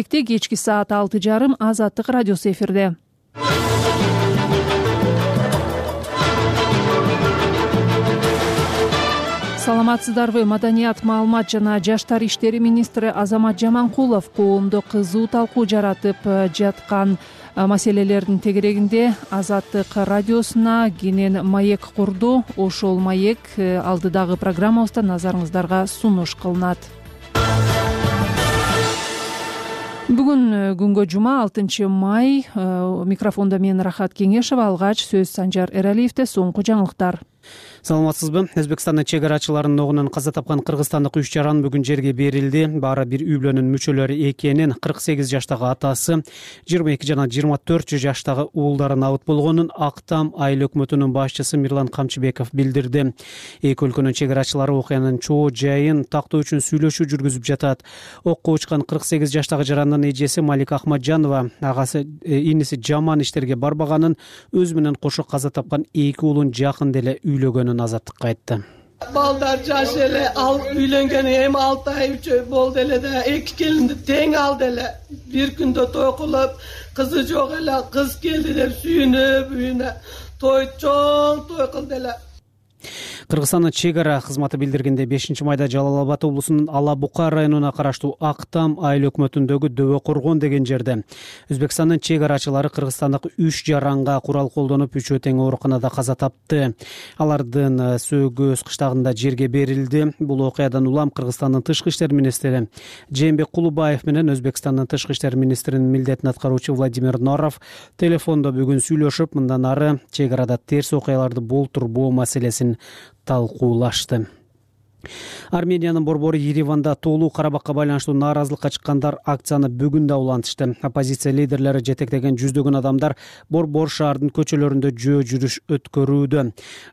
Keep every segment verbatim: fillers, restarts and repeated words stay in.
Кечки саат алты жарым Азаттык радиосу эфирде. Саламатсыздарбы? Маданият, маалымат жана жаштар иштери министри Азамат Жаманкулов коомдо кызуу талкуу жаратып жаткан маселелердин тегерегинде Азаттык радиосуна кенен маек курду. Ошол маек алдыдагы программабызда назарыңыздарга сунуш кылынат. Бүгүн күнгө жума алтынчы май. Микрофондо мен Рахат Кеңешева, алгач сөз Санжар Эралиевде. Соңку жаңылыктар. Саламатсызбы? Өзбекстандын чек арачыларынын огунан каза тапкан кыргызстандык үч жаран бүгүн жерге берилди. Баары бир үй бүлөнүн мүчөлөрү экенин, кырк сегиз жаштагы атасы, жыйырма эки жана жыйырма төрт жаштагы уулдары набыт болгонун Актам айыл өкмөтүнүн башчысы Мирлан Камчыбеков билдирди. Эки өлкөнүн чек арачылары окуянын чоо жайын тактоо үчүн сүйлөшүү жүргүзүп жатат. Окко учкан кырк сегиз жаштагы жарандын эжеси Малика Ахмаджанова агасы иниси жаман иштерге барбаганын, өзү менен кошо каза тапкан эки уулун жакында эле үйлөгөнүн Азаттыкка айтты. Балдар жаш эле, ал үйлөнгөнү эми алты ай үч ай болду эле да, эки келинди тең алды эле. Бир күндө той кылып, кызы жок эле, кыз келди деп сүйүнүп, үйүнө той чоң той кылды эле. Кыргызстандын чек ара кызматы билдиргенде бешинчи майда Жалал Абад облусунун Ала Бука районуна караштуу Актам айыл өкмөтүндөгү Дөбө Коргон деген жерде Өзбекстандын чек арачылары кыргызстандык үч жаранга курал колдонуп үчөө тең ооруканада каза тапты. Алардын Сөөгөз кыштагында жерге берилди. Бул окуядан улам Кыргызстандын тышкы иштер министри Жээнбек Кулубаев менен Өзбекстандын тышкы иштер министринин милдетин аткаруучу Владимир Норов телефондо бүгүн сүйлөшүп, мындан ары чек арада терс окуяларды болтурбоо маселесин талкуулашты. Армениянын борбору Ереванда Тоолуу Карабакка байланыштуу нааразылыкка чыккандар акцияны бүгүн да улантышты. Оппозиция лидерлери жетектеген жүздөгөн адамдар борбор шаардын көчөлөрүндө жөө жүрүш өткөрүүдө.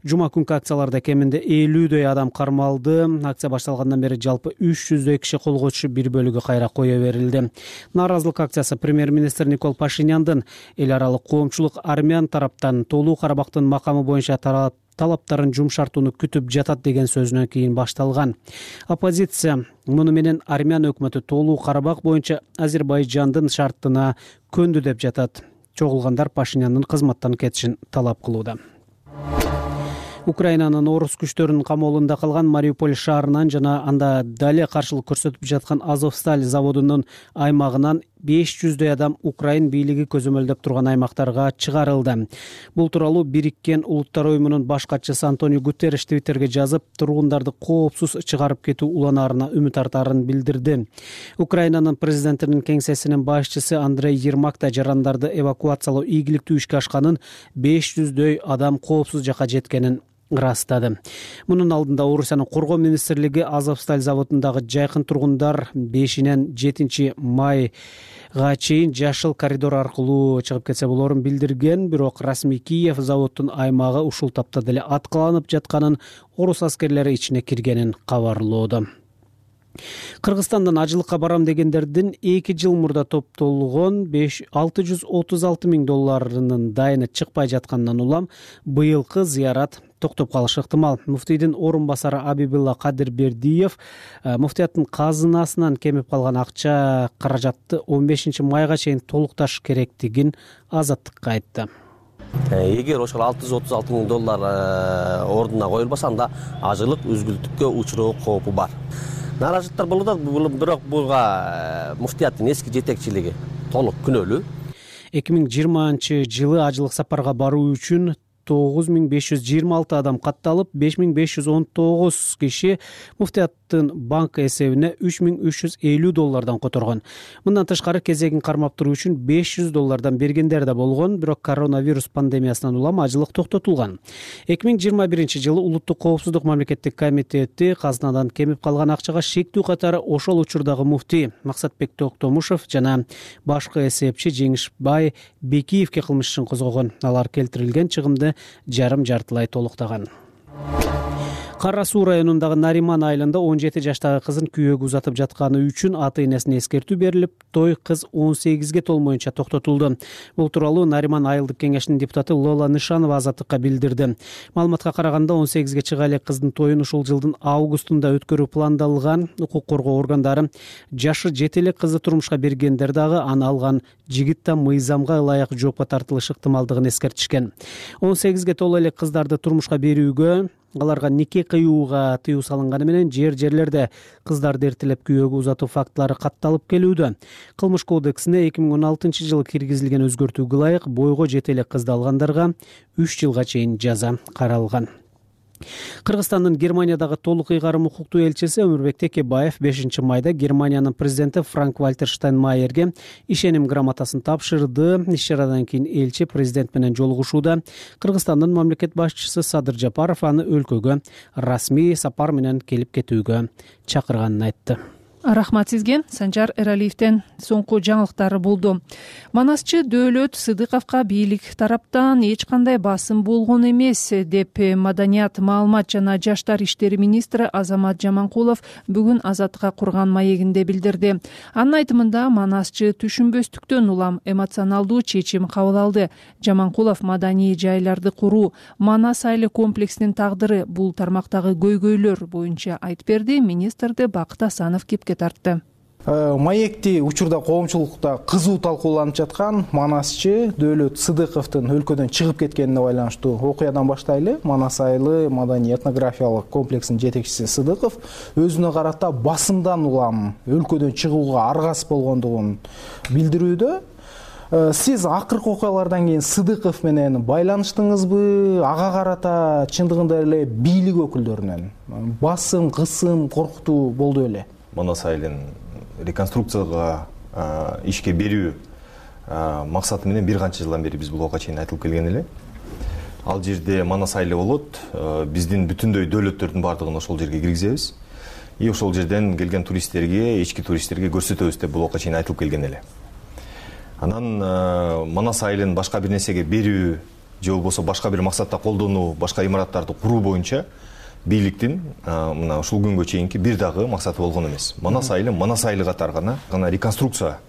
Жума күнкү акцияларда кеминде элүүдөй адам кармалды. Акция башталгандан бери жалпы үч жүздөй киши колго түшүп, бир бөлүгү кайра кое берилди. Нааразылык акциясы премьер-министр Никол Пашиняндын эл аралык коомчулук армян тараптан Тоолуу Карабактын макамы боюнча тарап талаптарын жумшартууну күтүп жатат деген сөзүнөн кийин башталган. Оппозиция муну менен армян өкмөтү Тоолуу Карабак боюнча Азербайжандын шартына көндү деп жатат. Чогулгандар Пашиняндын кызматтан кетишин талап кылууда. Украинанын орус күчтөрүнүн камоолунда калган Мариуполь шаарынан жана анда дале каршылык көрсөтүп жаткан Азовсталь заводунун аймагынан беш жүздөй адам Украин бийлиги көзөмөлдөп турган аймактарга чыгарылды. Бул тууралуу Бириккен Улуттар уюмунун баш катчысы Антонио Гутерриш Твиттерге жазып, тургундарды коопсуз чыгарып кетүү уланаарына үмүт артаарын билдирди. Украинанын президентинин кеңсесинин башчысы Андрей Ермак да жарандарды эвакуациялоо ийгиликтүү ишке ашканын, беш жүздөй адам коопсуз жакка жеткенин ырастады. Мунун алдында Орусиянын коргоо министрлиги Азовсталь заводундагы жайкын тургундар бешинен жетинчи майга чейин жашыл коридор аркылуу чыгып кетсе болорун билдирген, бирок расмий Киев заводдун аймагы ушул тапта деле аткаланып жатканын, орус аскерлери ичине киргенин кабарлоодо. Кыргызстандан ажылыкка барам дегендердин эки жыл мурда топтолгон алты жүз отуз алты миң долларынын дайыны чыкпай жатканынан улам быйылкы зыярат токтоп калышы ыктымал. Муфтийдин орун басары Абибилла Кадырбердиев муфтияттын казынасынан кемип калган акча каражатты он бешинчи майга чейин толукташ керектигин Азаттыкка айтты. Эгер ошол алты жүз отуз алты миң доллар ордуна коюлбаса, анда ажылык үзгүлтүккө учуроо коопу бар. Нааразычылыктар болууда, бирок буга муфтияттын эски жетекчилиги толук күнөөлүү. эки миң жыйырманчы жылы ажылык сапарга баруу үчүн тогуз миң беш жүз жыйырма алты адам катталып, беш миң беш жүз он тогуз киши муфтияттын банк эсебине үч миң үч жүз элүү доллардан которгон. Мындан тышкары кезегин кармап туруу үчүн беш жүз доллардан бергендер да болгон, бирок коронавирус пандемиясынан улам ажылык токтотулган. эки миң жыйырма биринчи жылы Улуттук коопсуздук мамлекеттик комитети казынадан кемип калган акчага шектүү катары ошол учурдагы муфтий Максатбек Токтомушев жана башкы эсепчи Жеңишбай Бекиевке кылмыш ишин козгогон. Алар келтирилген чыгымды жарым жартылай толуктаган. Кара Суу районундагы Нариман айылында он жети жаштагы кызын күйөөгө узатып жатканы үчүн ата-энесине эскертүү берилип, той кыз он сегизге толмоюнча токтотулду. Бул тууралуу Нариман айылдык кеңешинин депутаты Лола Нышанова Азаттыкка билдирди. Маалыматка караганда он сегизге чыга элек кыздын тоюн ушул жылдын августунда өткөрүү пландалган. Укук коргоо органдары жашы жете элек кызды турмушка бергендер дагы аны алган жигит да мыйзамга ылайык жоопко тартылышы ыктымалдыгын эскертишкен. он сегизге толо элек кыздарды турмушка берүүгө, аларга нике кыюуга тыюу салынганы менен жер жерлерде кыздарды эртелеп күйөөгө uzatуу фактылары катталып келүүдө. Кылмыш кодексине эки миң он алтынчы жылы киргизилген өзгөртүүгө ылайык бойго жете элек кызды алгандарга үч жылга чейин жаза каралган. Кыргызстандын Германиядагы толук ыйгарым укуктуу элчиси Өмүрбек Текебаев бешинчи майда Германиянын президенти Франк-Вальтер Штайнмайерге ишеним грамотасын тапшырды. Иш-чарадан кийин элчи президент менен жолугушууда Кыргызстандын мамлекет башчысы Садыр Жапаров аны өлкөгө расмий сапар менен келип кетүүгө чакырганын айтты. Рахмат сизге. Санжар Эралиевден соңку жаңылыктар болду. Манасчы Дөөлөт Сыдыковго бийлик тараптан эч кандай басым болгон эмес деп Маданият, маалымат жана жаштар иштери министри Азамат Жаманкулов бүгүн Азаттыкка курган маегинде билдирди. Анын айтымында манасчы түшүнбөстүктөн улам эмоционалдуу чечим кабыл алды. Жаманкулов маданий жайларды куруу, Манас айыл комплексинин тагдыры бул тармактагы көйгөйлөр боюнча айтып берди. Министрди Бакыт Асанов кепке тартты. Маекти учурда коомчулукта кызуу талкууланып жаткан Манасчы Дөөлөт Сыдыковдун өлкөдөн чыгып кеткенине байланыштуу окуядан баштайлы. Манас айылы маданий этнографиялык комплексинин жетекчиси Сыдыков өзүнө карата басымдан улам өлкөдөн чыгууга аргасыз болгондугун билдирүүдө. Сиз акыркы окуялардан кийин Сыдыков менен байланыштыңызбы? Ага карата чындыгында эле бийлик өкүлдөрүнөн басым, кысым, коркутуу болду эле? Манас айылын реконструкцияга ишке берүү максаты менен бир канча жылдан бери биз буга чейин айтылып келген эле. Ал жерде Манас айылы болот, биздин бүтүндөй дөөлөттөрдүн бардыгын ошол жерге киргизебиз. И ошол жерден келген туристтерге, ички туристтерге көрсөтөбүз деп буга чейин айтылып келген эле. Анан Манас айылын башка бир нерсеге берүү же болбосо башка бир максатта колдонуу, башка имараттарды куруу боюнча бийликтин мына ушул күнгө чейинки бир дагы максаты болгон эмес. Манас айылы Манас айылы катары гана гана реконструкция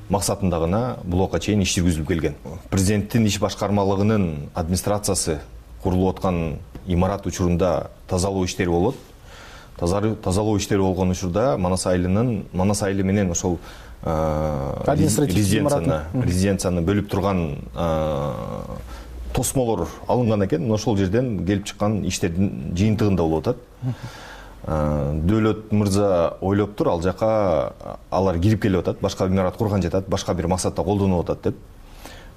максатында гана буга чейин иш жүргүзүлүп келген. Президенттин иш башкармалыгынын администрациясы курулуп аткан имарат учурунда тазалоо иштери болот. Тазалоо иштери болгон учурда Манас айылынын Манас айылы менен ошол резиденцияны резиденцияны бөлүп турган тосмолор алынган экен. Ошол жерден келип чыккан иштердин жыйынтыгында болуп атат. Дөөлөт мырза ойлоптур, ал жака алар кирип келип атат, башка имарат курган жатат, башка бир максатта колдонуп атат деп.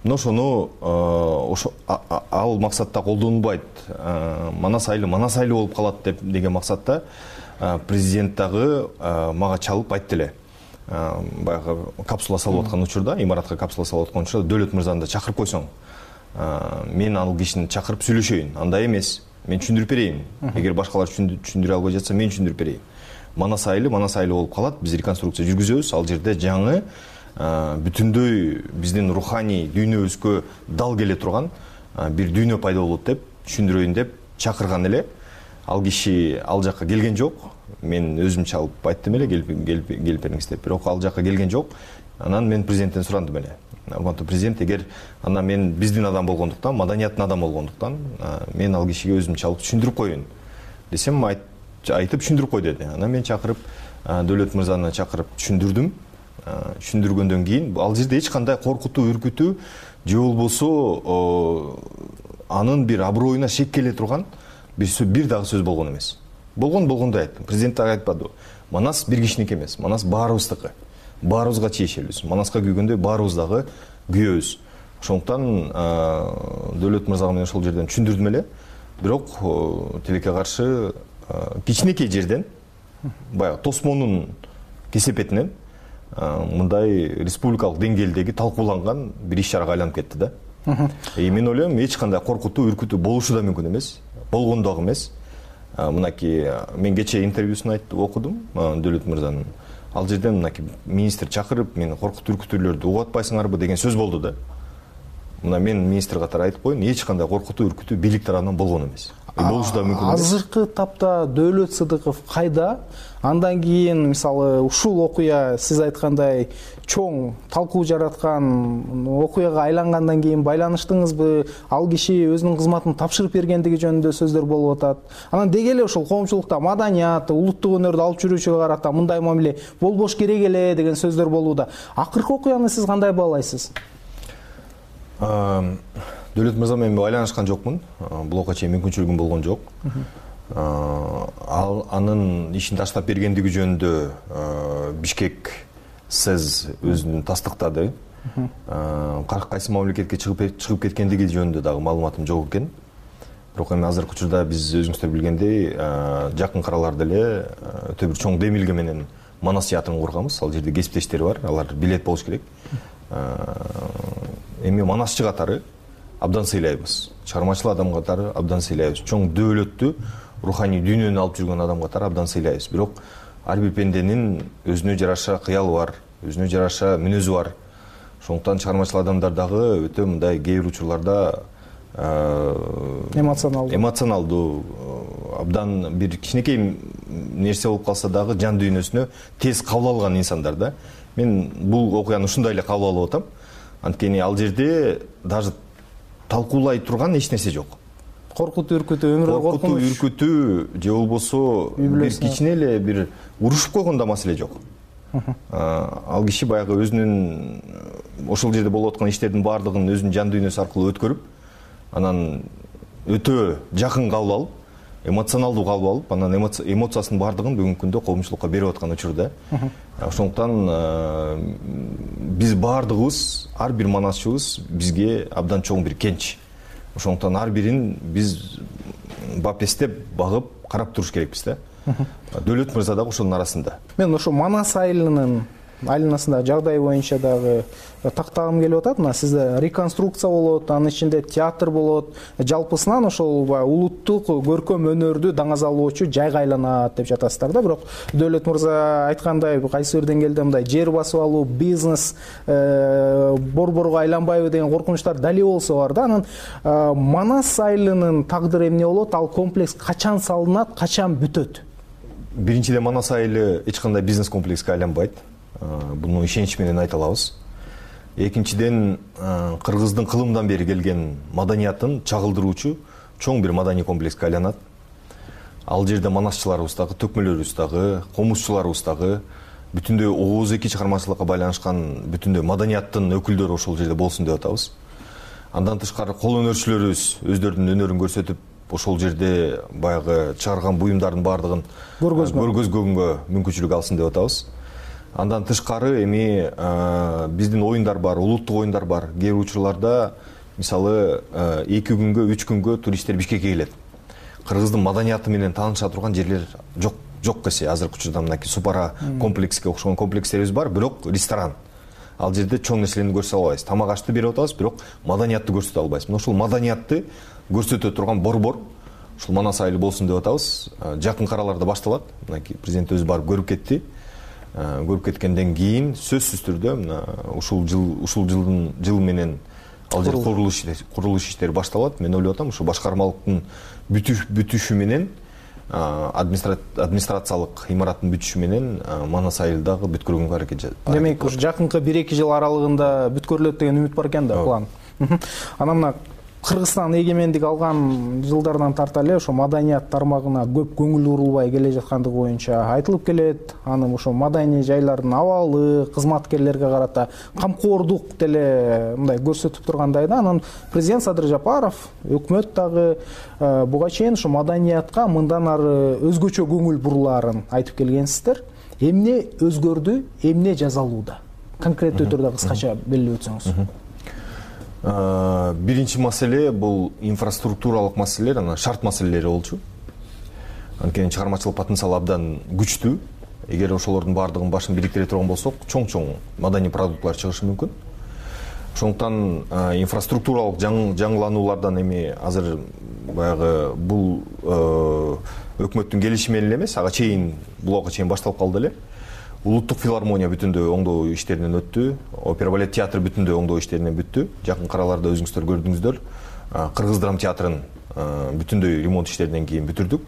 Мына ошону ошо ал максатта колдонулбайт, Манас айылы Манас айылы болуп калат деп деген максатта президент дагы мага чалып айтты эле. Баягы капсула салып аткан учурда, имаратка капсула салып аткан учурда Дөөлөт мырзаны да чакырып койсоң, мен ал кишини чакырып сүйлөшөйүн. Андай эмес, мен түшүндүрүп берейин. Эгер башкалар түшүндүрө албай жатса, мен түшүндүрүп берейин. Манас айылы Манас айылы болуп калат, биз реконструкция жүргүзөбүз. Ал жерде жаңы бүтүндөй биздин руханий дүйнөбүзгө дал келе турган бир дүйнө пайда болот деп түшүндүрөйүн деп чакырган эле. Ал киши ал жакка келген жок. Мен өзүм чалып айттым эле, келип келип бериңиз деп. Бирок ал жакка келген жок. Анан мен президенттен сурандым эле. Урматтуу президент, эгер анда мен биздин адам болгондуктан, маданияттын адам болгондуктан, мен ал кишиге өзүм чалып түшүндүрүп коеюн десем, айтып түшүндүрүп кой деди. Анан мен чакырып, Дөөлөт мырзаны чакырып түшүндүрдүм. Түшүндүргөндөн кийин ал жерде эч кандай коркутуу, үркүтүү же болбосо анын бир аброюна шек келе турган бир бир дагы сөз болгон эмес. Болгон болгондой айттым. Президент дагы айтпады. Манас бир кишиники эмес. Манас баарыбыздыкы. Баарыбызга чейшелбиз. Манаска күйгөндөй баарыбыз дагы күйөбүз. Ошондуктан Дөөлөт мырзага мен ошол жерден түшүндүрдүм эле. Бирок тилекке каршы кичинекей жерден, баягы тосмонун кесепетинен мындай республикалык деңгээлдеги талкууланган бир иш-чарага айланып кетти да. И мен ойлойм, эч кандай коркутуу, үркүтүү болушу да мүмкүн эмес. Болгон дагы эмес. Мынакей мен кечээ интервьюсун айтып окудум Дөөлөт мырзанын. Ал жерден мынакей министр чакырып, мени коркутуу, үркүтүүлөрдү угуп атпайсыңарбы деген сөз болду да. Мына мен министр катары айтып коеюн, эч кандай коркутуу, үркүтүү бийлик тарабынан болгон эмес. болушу да мүмкүн. Азыркы тапта Дөөлөт Сыдыков кайда? Андан кийин мисалы ушул окуя сиз айткандай чоң талкуу жараткан окуяга айлангандан кийин байланыштыңызбы? Ал киши өзүнүн кызматын тапшырып бергендиги жөнүндө сөздөр болуп атат. Анан деги эле ушул коомчулукта маданият, улуттук өнөрдү алып жүрүүчүгө карата мындай мамиле болбош керек эле деген сөздөр болууда. Акыркы окуяны сиз кандай баалайсыз? Дөөлөт мырза менен байланышкан жокмун. Буга чейин мүмкүнчүлүгүм болгон жок. Ал анын ишин таштап бергендиги жөнүндө Бишкек СЭЗ өзүн тастыктады. Кайсы мамлекетке чыгып кеткендиги жөнүндө дагы маалыматым жок экен. Бирок эми азыркы учурда биз өзүңүздөр билгендей жакын караларда эле өтө бир чоң демилге менен Манас театрын курганбыз. Ал жерде кесиптештер бар, алар билет болуш керек. Эми Манасчы катары абдан сыйлайбыз. Чыгармачыл адам катары абдан сыйлайбыз. Чоң дөөлөттү руханий дүйнөнү алып жүргөн адам катары абдан сыйлайбыз. Бирок ар бир пенденин өзүнө жараша кыялы бар, өзүнө жараша мүнөзү бар. Ошондуктан чыгармачыл адамдар дагы өтө мындай кээ бир учурларда эмоционалдуу эмоционалдуу абдан бир кичинекей нерсе болуп калса дагы жан дүйнөсүнө тез кабыл алган инсандар да. Мен бул окуяны ушундай эле кабыл алып атам. Анткени ал жерде даже талкуулай турган эч нерсе жок. Коркутуу, үркүтүү, өмүрдө коркунуч. Коркутуу, үркүтүү же болбосо бир кичине эле бир урушуп койгондо маселе жок. Ал киши баягы өзүнүн ошол жерде болуп аткан иштердин баардыгын өзүнүн жан дүйнөсү аркылуу өткөрүп, анан өтө жакын кабыл алып, эмоционалдуу кабыл алып, анан эмоциясынын баардыгын бүгүнкү күндө коомчулукка берип аткан учурда. Ошондуктан биз баардыгыбыз, ар бир манасчыбыз бизге абдан чоң бир кенч. Ошондуктан ар бирин биз бапестеп, багып, карап туруш керекпиз да. Дөөлөт мырза дагы ошонун арасында. Мен ошо Манас айылынын айланасындагы жагдай боюнча дагы тактагым келип атат. Мына сизде реконструкция болот, анын ичинде театр болот. Жалпысынан ошол улуттук көркөм өнөрдү даңазалоочу жайга айланат деп жатасыздар да. Бирок Дөөлөт мырза айткандай, кайсы бир деңгээлде мындай жер басып алуу, бизнес борборго айланбайбы деген коркунучтар дали болсо бар да. Анан Манас айылынын тагдыры эмне болот? Ал комплекс качан салынат, качан бүтөт? Биринчиден, Манас айылы эч кандай бизнес комплекске айланбайт. Буну ишенич менен айта алабыз. Экинчиден, кыргыздын кылымдан бери келген маданиятын чагылдыруучу чоң бир маданий комплекске айланат. Ал жерде манасчыларыбыз дагы, төкмөлөрүбүз дагы, комузчуларыбыз дагы, бүтүндөй ооз эки чыгармачылыкка байланышкан бүтүндөй маданияттын өкүлдөрү ошол жерде болсун деп атабыз. Андан тышкары кол өнөрчүлөрүбүз өздөрүнүн өнөрүн көрсөтүп, ошол жерде баягы чыгарган буюмдардын баардыгын көргөзгөнгө мүмкүнчүлүк алсын деп атабыз. Андан тышкары эми биздин оюндар бар, улуттук оюндар бар. Кээ бир учурларда мисалы эки күнгө, үч күнгө туристтер Бишкекке келет. Кыргыздын маданияты менен тааныша турган жерлер жок жок десе, азыркы учурда мынакей Супара комплекске окшогон комплекстерибиз бар, бирок ресторан. Ал жерде чоң нерселерди көрсөтө албайбыз. Тамак ашты берип атабыз, бирок маданиятты көрсөтө албайбыз. Мына ушул маданиятты көрсөтө турган борбор ушул Манас айылы болсун деп атабыз. Жакын караларда башталат. Мынакей президент өзү барып көрүп кетти. Көрүп кеткенден кийин сөзсүз түрдө мына ушул жыл ушул жылдын жыл менен ал жер курулуш курулуш иштери башталат. Мен ойлоп атам, ушу башкармалыктын бүтүшү менен, администрациялык имараттын бүтүшү менен Манас айылы дагы бүткөргөнгө аракет жасалат. Демек, ушу жакынкы бир эки жыл аралыгында бүткөрүлөт деген үмүт бар экен да, план. Анан мына Кыргызстан эгемендик алган жылдардан тарта эле ошо маданият тармагына көп көңүл бурулбай келе жаткандыгы боюнча айтылып келет. Анын ошо маданий жайлардын абалы, кызматкерлерге карата камкордук деле мындай көрсөтүп тургандай да. Анан президент Садыр Жапаров, өкмөт дагы буга чейин ошо маданиятка мындан ары өзгөчө көңүл бурулаарын айтып келгенсиздер. Эмне өзгөрдү, эмне жазалууда? Конкреттүү түрдө кыскача белгилеп өтсөңүз. Биринчи маселе бул инфраструктуралык маселелер, анан шарт маселелери болчу. Анткени чыгармачылык потенциал абдан күчтүү. Эгер ошолордун баардыгын башын бириктире турган болсок, чоң-чоң маданий продуктлар чыгышы мүмкүн. Ошондуктан инфраструктуралык жаңылануулардан эми азыр баягы бул өкмөттүн келишими менен эмес, ага чейин булга чейин башталып калды эле. Улуттук филармония бүтүндөй оңдоо иштеринен өттү. Опера балет театры бүтүндөй оңдоо иштеринен бүттү. Жакын караларда өзүңүздөр көрдүңүздөр. Кыргыз драм театрын бүтүндөй ремонт иштеринен кийин бүтүрдүк.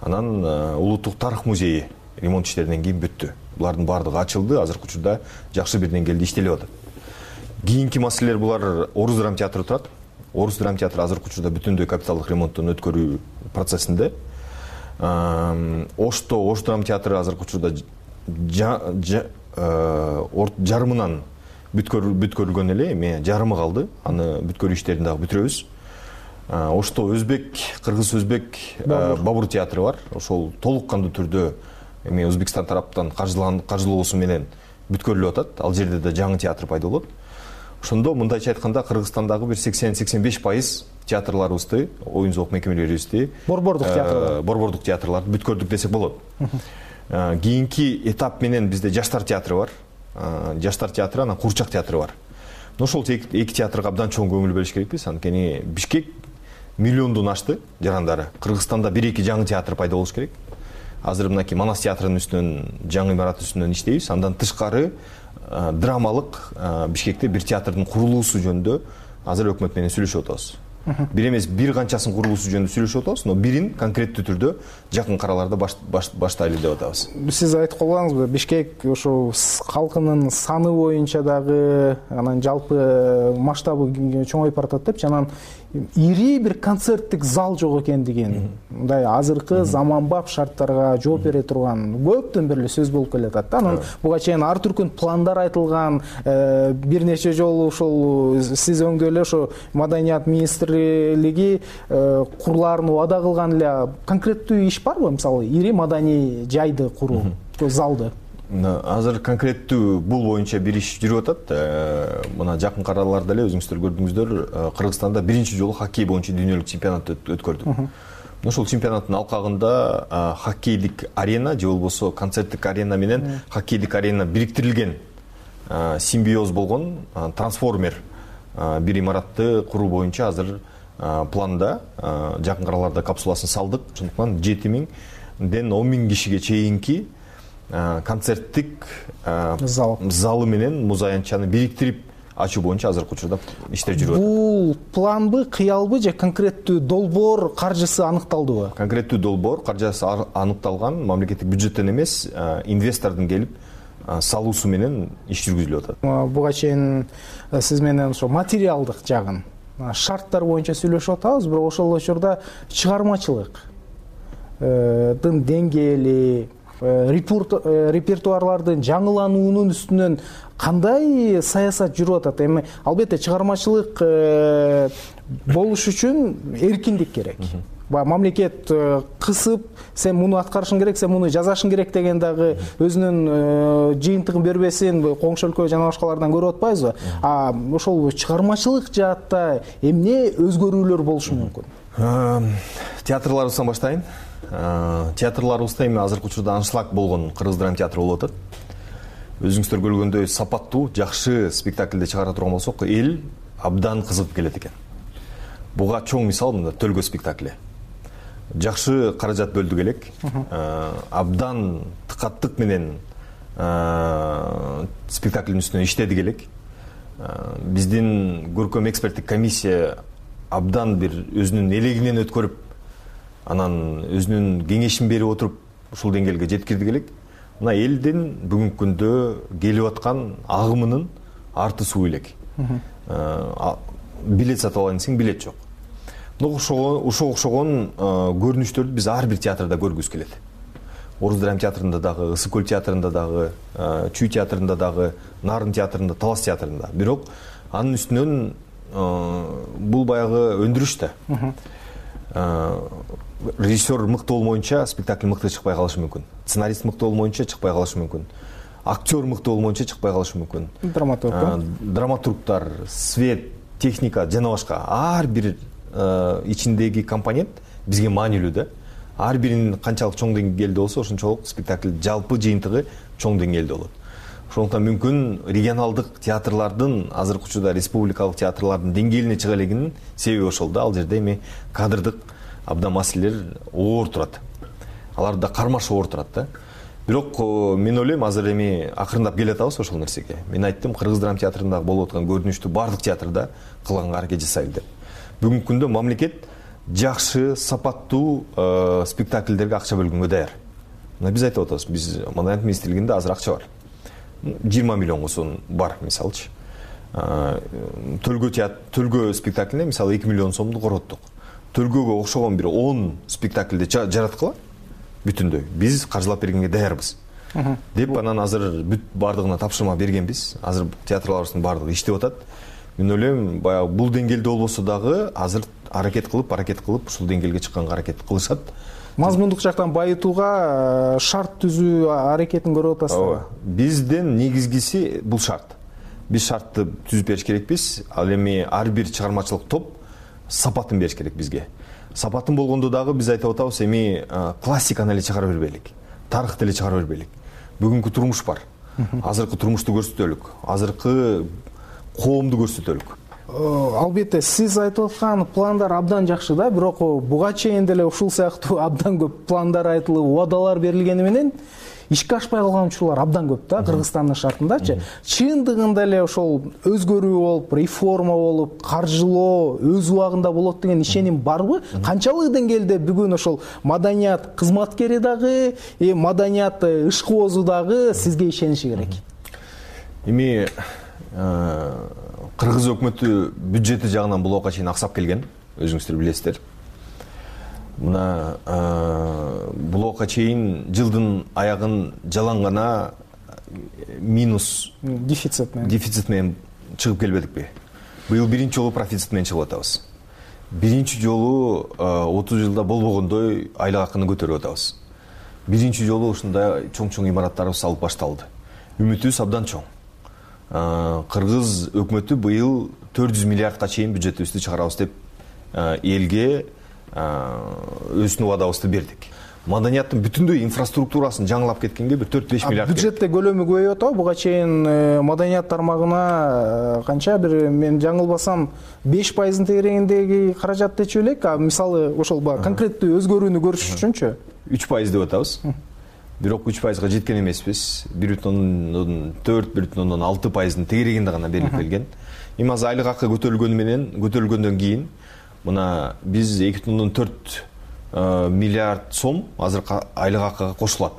Анан улуттук тарых музейи ремонт иштеринен кийин бүттү. Булардын баардыгы ачылды, азыркы учурда жакшы бир деңгээлде иштелип атат. Кийинки маселелер булар Орус драма театры турат. Орус драма театры азыркы учурда бүтүндөй капиталдык ремонттон өткөрүү процессинде. Ошто Ош драма театры азыркы учурда жарымынан бүткөрүлгөн эле, эми жарымы калды. Аны бүткөрүү иштерин дагы бүтүрөбүз. Ошто өзбек, кыргыз өзбек Бабур театры бар. Ошол толук кандуу түрдө эми Өзбекстан тараптан каржылоосу менен бүткөрүлүп атат. Ал жерде да жаңы театр пайда болот. Ошондо мындайча айтканда Кыргызстандагы бир сексен сексен беш пайыз театрларыбызды, оюн зоок мекемелерибизди, борбордук театрлар, борбордук театрларды бүткөрдүк десек болот. Кийинки этап менен бизде Жаштар театры бар. Жаштар театры, анан Курчак театры бар. Ошол эки театрга абдан чоң көңүл бөлүш керекпиз. Анткени Бишкек миллиондон ашты жарандары. Кыргызстанда бир-эки жаңы театр пайда болуш керек. Азыр мынакей Манас театрынын үстүнөн, жаңы имарат үстүнөн иштейбиз. Андан тышкары драмалык Бишкекте бир театрдын курулуусу жөнүндө азыр өкмөт менен сүйлөшүп атабыз. Бир эмес, бир канчасын курулуусу жөнүндө сүйлөшүп атабыз, но бирин конкреттүү түрдө жакын караларда баштайлы деп атабыз. Сиз айтып калгансызбы, Бишкек ошо калкынын саны боюнча дагы, анан жалпы масштабы чоңоюп баратат депчи, анан ири бир концерттик зал жок экендигин, мындай азыркы заманбап шарттарга жооп бере турган көптөн бери сөз болуп келатат. Анан буга чейин ар түркүн пландар айтылган, бир нече жолу ошол сиз өңдө эле ошо Маданият министрлиги курлаарын убада кылган эле. Конкреттүү иш барбы, мисалы ири маданий жайды куруу, залды? Азыр конкреттүү бул боюнча бир иш жүрүп атат. Мына жакын караларда эле өзүңүздөр көрдүңүздөр, Кыргызстанда биринчи жолу хоккей боюнча дүйнөлүк чемпионат өткөрдүк. Ошол чемпионаттын алкагында хоккейдик арена же болбосо концерттик арена менен хоккейдик арена бириктирилген симбиоз болгон трансформер бир имаратты куруу боюнча азыр планда, жакын караларда капсуласын салдык. Ошондуктан жети миңден он миң кишиге чейинки концерттик залы менен муз аянтчаны бириктирип ачуу боюнча азыркы учурда иштер жүрүп атат. Бул планбы, кыялбы же конкреттүү долбоор каржысы аныкталдыбы? Конкреттүү долбоор каржысы аныкталган, мамлекеттик бюджеттен эмес, инвестордун келип салуусу менен иш жүргүзүлүп атат. Буга чейин сиз менен ошо материалдык жагын, шарттар боюнча сүйлөшүп атабыз, бирок ошол учурда чыгармачылык дын деңгээли, репертуарлардын жаңылануунун үстүнөн кандай саясат жүрүп атат? Эми албетте чыгармачылык болуш үчүн эркиндик керек. Мамлекет кысып, сен муну аткарышың керек, сен муну жазашың керек деген дагы өзүнүн жыйынтыгын бербесин коңшу өлкө жана башкалардан көрүп атпайбызбы? А ошол чыгармачылык жаатта эмне өзгөрүүлөр болушу мүмкүн? Театрларыбыздан баштайын. Театрларыбызда эми азыркы учурда аншлаг болгон Кыргыз драма театры болуп атат. Өзүңүздөр көргөндөй сапаттуу, жакшы спектакльде чыгара турган болсок, эл абдан кызыгып келет экен. Буга чоң мисал мында Төлгө спектакли. Жакшы каражат бөлдүк элек. Абдан тыкаттык менен спектаклдин үстүнө иштедик элек. Биздин көркөм эксперттик комиссия абдан бир өзүнүн элегинен өткөрүп, анан өзүнүн кеңешин берип отуруп ушул деңгээлге жеткирдик элек. Мына элдин бүгүнкү күндө келип аткан агымынын арты суу элек. Билет сатып алайын десең, билет жок. Ошого окшогон көрүнүштөрдү биз ар бир театрда көргүбүз келет. Орус драма театрында дагы, Ысык көл театрында дагы, Чүй театрында дагы, Нарын театрында, Талас театрында. Бирок анын үстүнөн бул баягы өндүрүш да. Режиссер мыкты болмоюнча спектакль мыкты чыкпай калышы мүмкүн. Сценарист мыкты болмоюнча чыкпай калышы мүмкүн. Актер мыкты болмоюнча чыкпай калышы мүмкүн. Драматург, драматургтар, свет, техника жана башка ар бир ичиндеги компонент бизге маанилүү да. Ар биринин канчалык чоң деңгээлде болсо, ошончолук спектакль жалпы жыйынтыгы чоң деңгээлде болот. Ошондуктан мүмкүн регионалдык театрлардын азыркы учурда республикалык театрлардын деңгээлине чыга элегинин себеби ошол да. Ал жерде эми кадрдык абдан маселелер оор турат. Аларда кармаш оор турат да. Бирок мен ойлойм, азыр эми акырындап келе атабыз ошол нерсеге. Мен айттым, Кыргыз драма театрында болуп аткан көрүнүштү бардык театрда кылганга аракет жасайлы деп. Бүгүнкү күндө мамлекет жакшы сапаттуу спектакльдерге акча бөлгөнгө даяр. Мына биз айтып атабыз, биз Маданият министрлигинде азыр акча бар. жыйырма миллионго сон бар мисалчы. Төлгө театр, төлгө спектаклине мисалы эки миллион сомду короттук. Төлгөгө окшогон бир он спектакльди жараткыла бүтүндөй. Биз каржылап бергенге даярбыз. Деп анан азыр бүт бардыгына тапшырма бергенбиз. Азыр театрларыбыздын бардыгы иштеп атат. Мен ойлойм, баягы бул деңгээлде болбосо дагы азыр аракет кылып, аракет кылып ушул деңгээлге чыкканга аракет кылышат. Мазмундук жактан байытууга шарт түзүү аракетин көрүп атасызбы? Бизден негизгиси бул шарт. Биз шартты түзүп бериш керекпиз. Ал эми ар бир чыгармачылык топ сапатын бериш керек бизге. Сапатын болгондо дагы биз айтып атабыз, эми классиканы эле чыгара бербейлик, тарыхты эле чыгара бербейлик. Бүгүнкү турмуш бар. Азыркы турмушту көрсөтөлүк, азыркы коомду көрсөтөлүк. Албетте, сиз айтып аткан пландар абдан жакшы да, бирок буга чейин деле ушул сыяктуу абдан көп пландар айтылып, убадалар берилгени менен ишке ашпай калган учурлар абдан көп да, Кыргызстандын шартындачы. Чындыгында эле ошол өзгөрүү болуп, реформа болуп, каржылоо өз убагында болот деген ишеним барбы? Канчалык деңгээлде бүгүн ошол маданият кызматкери дагы, маданият ишкоозу дагы сизге ишениши керек? Эми Кыргыз өкмөтү бюджети жагынан бул убакка чейин аксап келген, өзүңүздөр билесиздер. Мына бул убакка чейин жылдын аягын жалаң гана минус дефицит менен дефицит менен чыгып келбедикпи? Быйыл биринчи жолу профицит менен чыгып атабыз. Биринчи жолу отуз жылда болбогондой айлык акыны көтөрүп атабыз. Биринчи жолу ушундай чоң-чоң имараттарыбыз салып башталды. Үмүтүбүз абдан чоң. Кыргыз өкмөтү быйыл төрт жүз миллиардка чейин бюджетибизди чыгарабыз деп элге өзүнүн убадабызды бердик. Маданияттын бүтүндөй инфраструктурасын жаңылап кеткенге бир төрт беш миллиард. Бюджетте көлөмү көбөйүп атабы? Буга чейин маданият тармагына канча бир, мен жаңылбасам, беш пайыздын тегерегиндеги каражат дечү элек. Мисалы ошол конкреттүү өзгөрүүнү көрүш үчүнчү үч пайыз деп атабыз. Бирок үч пайызга жеткен эмеспиз. бир бүтүн ондон төрт, бир бүтүн ондон алты пайыздын тегерегинде гана берилип келген. Эми азыр айлык акы көтөрүлгөнү менен, көтөрүлгөндөн кийин мына биз эки бүтүн ондон төрт миллиард сом азыр айлык акыга кошулат.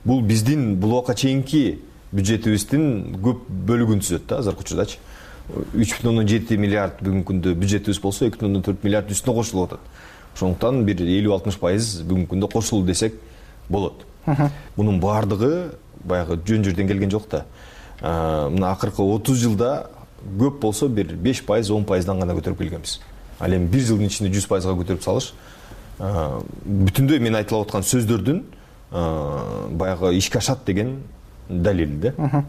Бул биздин бул убакка чейинки бюджетибиздин көп бөлүгүн түзөт да азыркы учурдачы. үч бүтүн ондон жети миллиард бүгүнкү күндө бюджетибиз болсо, эки бүтүн ондон төрт миллиард үстүнө кошулуп атат. Ошондуктан бир элүү алтымыш пайыз бүгүнкү күндө кошулду десек болот. Мунун баардыгы баягы жөн жерден келген жок да. Мына акыркы отуз жылда көп болсо бир беш пайыз, он пайыздан гана көтөрүп келгенбиз. Ал эми бир жылдын ичинде жүз пайызга көтөрүп салыш бүтүндөй мен айтылып аткан сөздөрдүн баягы ишке ашат деген далил да.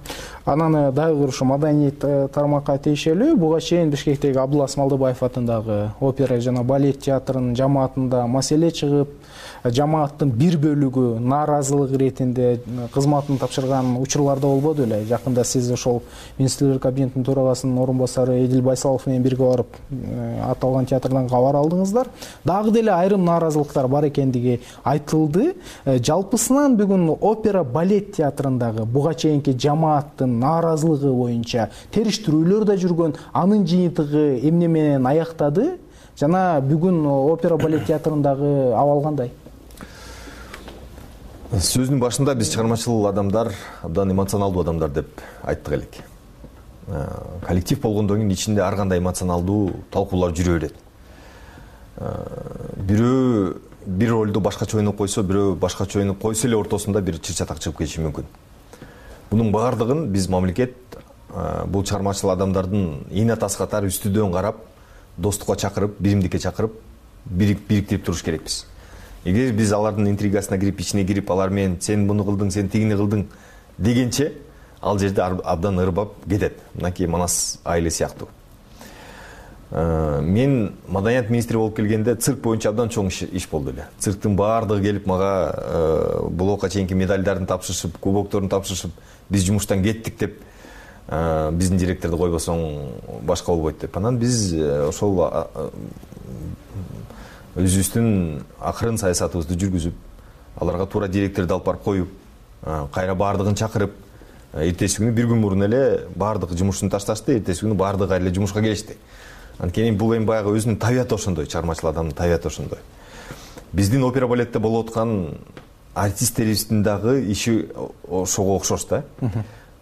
Анан дагы ушу маданият тармакка тиешелүү буга чейин Бишкектеги Абдулас Малдыбаев атындагы опера жана балет театрынын жамаатында маселе чыгып, жамааттын бир бөлүгү нааразылык иретинде кызматын тапшырган учурларда болбоду эле. Жакында сиз ошол министрлер кабинетинин төрагасынын орун басары Эдил Байсалов менен бирге барып аталган театрдан кабар алдыңыздар. Дагы деле айрым нааразылыктар бар экендиги айтылды. Жалпысынан бүгүн опера балет театрындагы буга чейинки жамааттын нааразылыгы боюнча териштирүүлөр да жүргөн, анын жыйынтыгы эмне менен аяктады жана бүгүн опера балет театрындагы абал кандай? Сөзүнүн башында биз чыгармачыл адамдар, абдан эмоционалдуу адамдар деп айттык элек. Коллектив болгондон кийин ичинде ар кандай эмоционалдуу талкуулар жүрө берет. Бирөө бир ролду башкача ойноп койсо, бирөө башкача ойноп койсо эле ортосунда бир чыр-чатак чыгып кетиши мүмкүн. Бунун баардыгын биз мамлекет бул чыгармачыл адамдардын эне тас катары үстүдөн карап, достукка чакырып, биримдикке чакырып, бириктирип туруш керекпиз. Эгер биз алардын интригасына кирип, ичине кирип, алар менен сен муну кылдың, сен тигини кылдың дегенче, ал жерде абдан ырбап кетет. Мынакей Манас айылы сыяктуу. Мен маданият министри болуп келгенде цирк боюнча абдан чоң иш болду эле. Цирктин баардыгы келип мага бул убакка чейинки медальдарын тапшырышып, кубокторун тапшырышып, биз жумуштан кеттик деп, биздин директорду койбосоң башка болбойт деп. Анан биз ошол өзүбүздүн акырын саясатыбызды жүргүзүп, аларга туура директорду алып барып коюп, кайра баардыгын чакырып, эртеси күнү бир күн мурун эле баардык жумушун ташташты, эртеси күнү баардыгы эле жумушка келишти. Анткени бул эми баягы өзүнүн табияты ошондой, чыгармачыл адамдын табияты ошондой. Биздин опера балетте болуп аткан артисттерибиздин дагы иши ошого окшош да.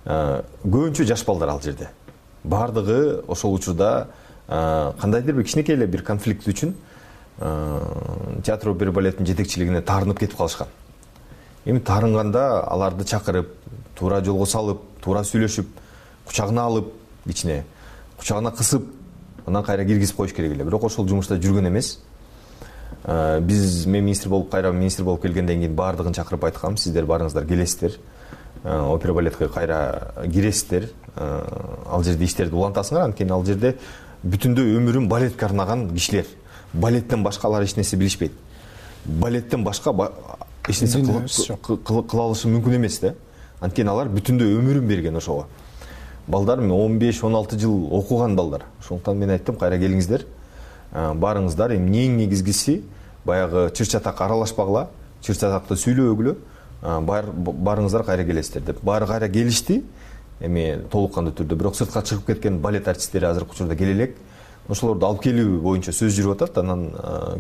Көбүнчө жаш балдар ал жерде. Бардыгы ошол учурда кандайдыр бир кичинекей эле бир конфликт үчүн театр опера балеттин жетекчилигине таарынып кетип калышкан. Эми таарынганда аларды чакырып, туура жолго салып, туура сүйлөшүп, кучагына алып, кичине кучагына кысып, анан кайра киргизип коюш керек эле. Бирок ошол жумушта жүргөн эмес. Биз мен министр болуп, кайра министр болуп келгенден кийин бардыгын чакырып айткам, сиздер барыңыздар, келесиздер. Опера балетке кайра киресиздер. Ал жерде иштерди улантасыңар, анткени ал жерде бүтүндөй өмүрүн балетке арнаган кишилер. Балеттен башка алар эч нерсе билишпейт. Балеттен башка эч нерсе кыла алышы мүмкүн эмес да. Анткени алар бүтүндөй өмүрүн берген ошого. Балдар он беш он алты жыл окуган балдар. Ошондуктан мен айттым, кайра келиңиздер. Барыңыздар, эми эң негизгиси баягы чыр-чатак аралашпагыла, чыр-чатакты сүйлөбөгүлө, барыңыздар, кайра келесиздер деп. Баары кайра келишти. Эми толуккандуу түрдө, бирок сыртка чыгып кеткен балет артисттери азыркы учурда келе элек. Ошолорду алып келүү боюнча сөз жүрүп атат. Анан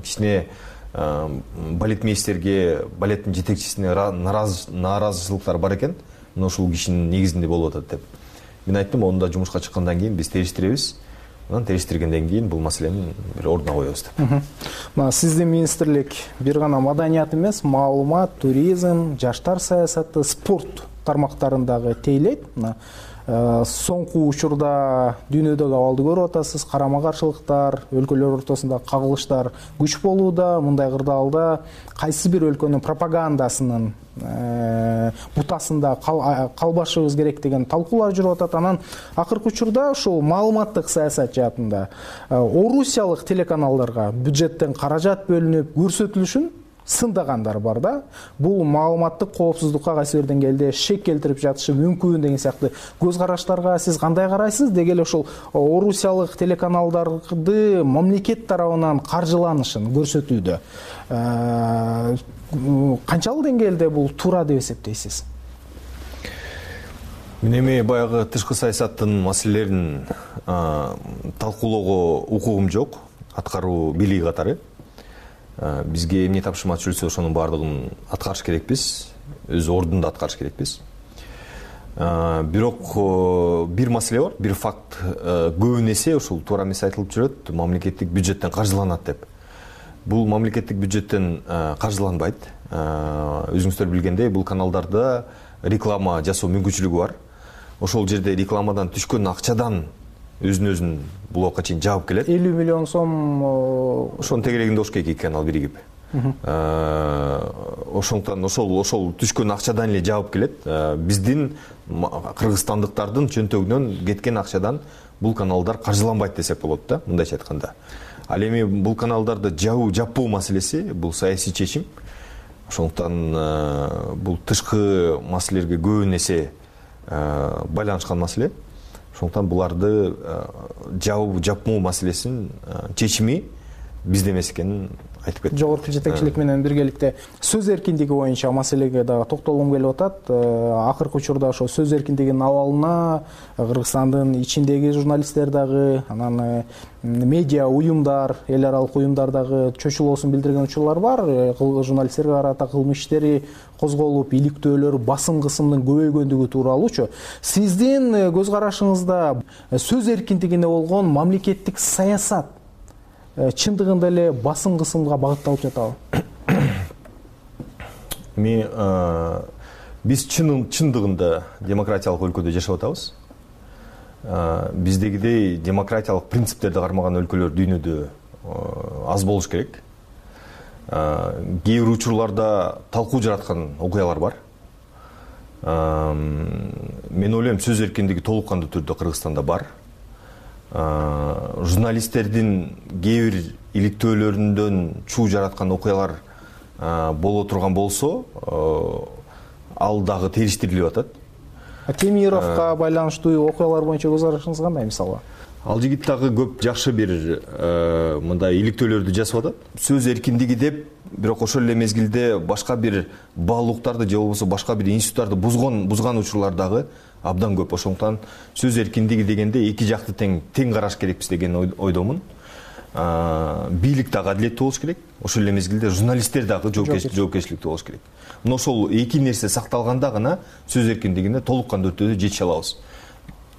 кичине балетмейстерге, балеттин жетекчисине нааразычылыктар бар экен. Мына ушул кишинин негизинде болуп атат деп. Мен айттым, онда жумушка чыккандан кийин биз териштиребиз. Анан териштиргенден кийин бул маселени бир ордуна коебуз деп. Мына сиздин министрлик бир гана маданият эмес, маалымат, туризм, жаштар саясаты, спорт тармактарындагы тейлейт. Мына соңку учурда дүйнөдөгү абалды көрүп атасыз, карама-каршылыктар, өлкөлөр ортосунда кагылыштар күч болууда. Мындай кырдаалда кайсы бир өлкөнүн пропагандасынын бутасында калбашыбыз керек деген талкуулар жүрүп атат. Анан акыркы учурда ушул маалыматтык саясат жаатында орусиялык телеканалдарга бюджеттен каражат бөлүнүп көрсөтүлүшүн сындагандар бар да. Бул маалыматтык коопсуздукка кайсы бир деңгээлде шек келтирип жатышы мүмкүн деген сыяктуу көз караштарга сиз кандай карайсыз? Деги эле ошол орусиялык телеканалдарды мамлекет тарабынан каржыланышын көрсөтүүдө канчалык деңгээлде бул туура деп эсептейсиз? Мен эми баягы тышкы саясаттын маселелерин талкуулоого укугум жок, аткаруу бийлиги катары. Бизге эмне тапшырма түшүрсө ошонун баардыгын аткарыш керекпиз, өз ордунда аткарыш керекпиз. Бирок бир маселе бар, бир факт көбүн эсе ушул туура эмес айтылып жүрөт, мамлекеттик бюджеттен каржыланат деп. Бул мамлекеттик бюджеттен каржыланбайт. Өзүңүздөр билгендей, бул каналдарда реклама жасоо мүмкүнчүлүгү бар. Ошол жерде рекламадан түшкөн акчадан өзүн-өзүн блокко чейин жаап келет. элүү миллион сом ошонун тегерегинде ош эки канал биригип. Ошондуктан ошол ошол түшкөн акчадан эле жаап келет. Биздин кыргызстандыктардын чөнтөгүнөн кеткен акчадан бул каналдар каржыланбайт десек болот да, мындайча айтканда. Ал эми бул каналдарды жабуу жаппоо маселеси бул саясий чечим. Ошондуктан бул тышкы маселелерге көбүн эсе байланышкан маселе. Ошондуктан буларды жабуу жапмоо маселесинин чечими бизде эмес экенин айтып кеттим. Жогорку жетекчилик менен биргеликте сөз эркиндиги боюнча маселеге дагы токтолгум келип атат. Акыркы учурда ошо сөз эркиндигинин абалына Кыргызстандын ичиндеги журналисттер дагы, анан медиа уюмдар, эл аралык уюмдар дагы чочулоосун билдирген учурлар бар. Журналисттерге карата кылмыш иштери козголуп, иликтөөлөр, басым кысымдын көбөйгөндүгү тууралуучу. Сиздин көз карашыңызда сөз эркиндигине болгон мамлекеттик саясат чындыгында эле басым кысымга багытталып жатабы? Ми биз чындыгында демократиялык өлкөдө жашап атабыз. Биздегидей демократиялык принциптерди кармаган өлкөлөр дүйнөдө аз болуш керек. Кээ бир учурларда талкуу жараткан окуялар бар. Мен ойлойм, сөз эркиндиги толук кандуу түрдө Кыргызстанда бар. Журналисттердин кээ бир иликтөөлөрүндөн чуу жараткан окуялар боло турган болсо, ал дагы териштирилип атат. Темировго байланыштуу окуялар боюнча көз карашыңыз кандай мисалы? Ал жигит дагы көп жакшы бир мындай иликтөөлөрдү жасап атат. Сөз эркиндиги деп, бирок ошол эле мезгилде башка бир баал укуктарды же болбосо башка бир институттарды бузган бузган учурлар дагы абдан көп. Ошондуктан сөз эркиндиги дегенде эки жакты тең тең караш керекпиз деген ойдомун. Бийлик дагы адилеттүү болуш керек. Ошол эле мезгилде журналисттер дагы жоопкерчиликтүү болуш керек. Мына ошол эки нерсе сакталганда гана сөз эркиндигине толук кандуу өтүүгө жетише алабыз.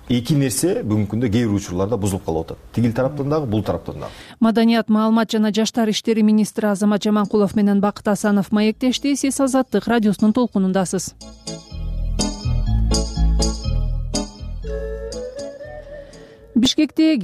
Эки нерсе бүгүнкү күндө кээ бир учурларда бузулуп калып атат. Тигил тараптан дагы, бул тараптан дагы. Маданият, маалымат жана жаштар иштери министри Азамат Жаманкулов менен Бакыт Асанов маектешти. Сиз Азаттык радиосунун толкунундасыз. Бишкекте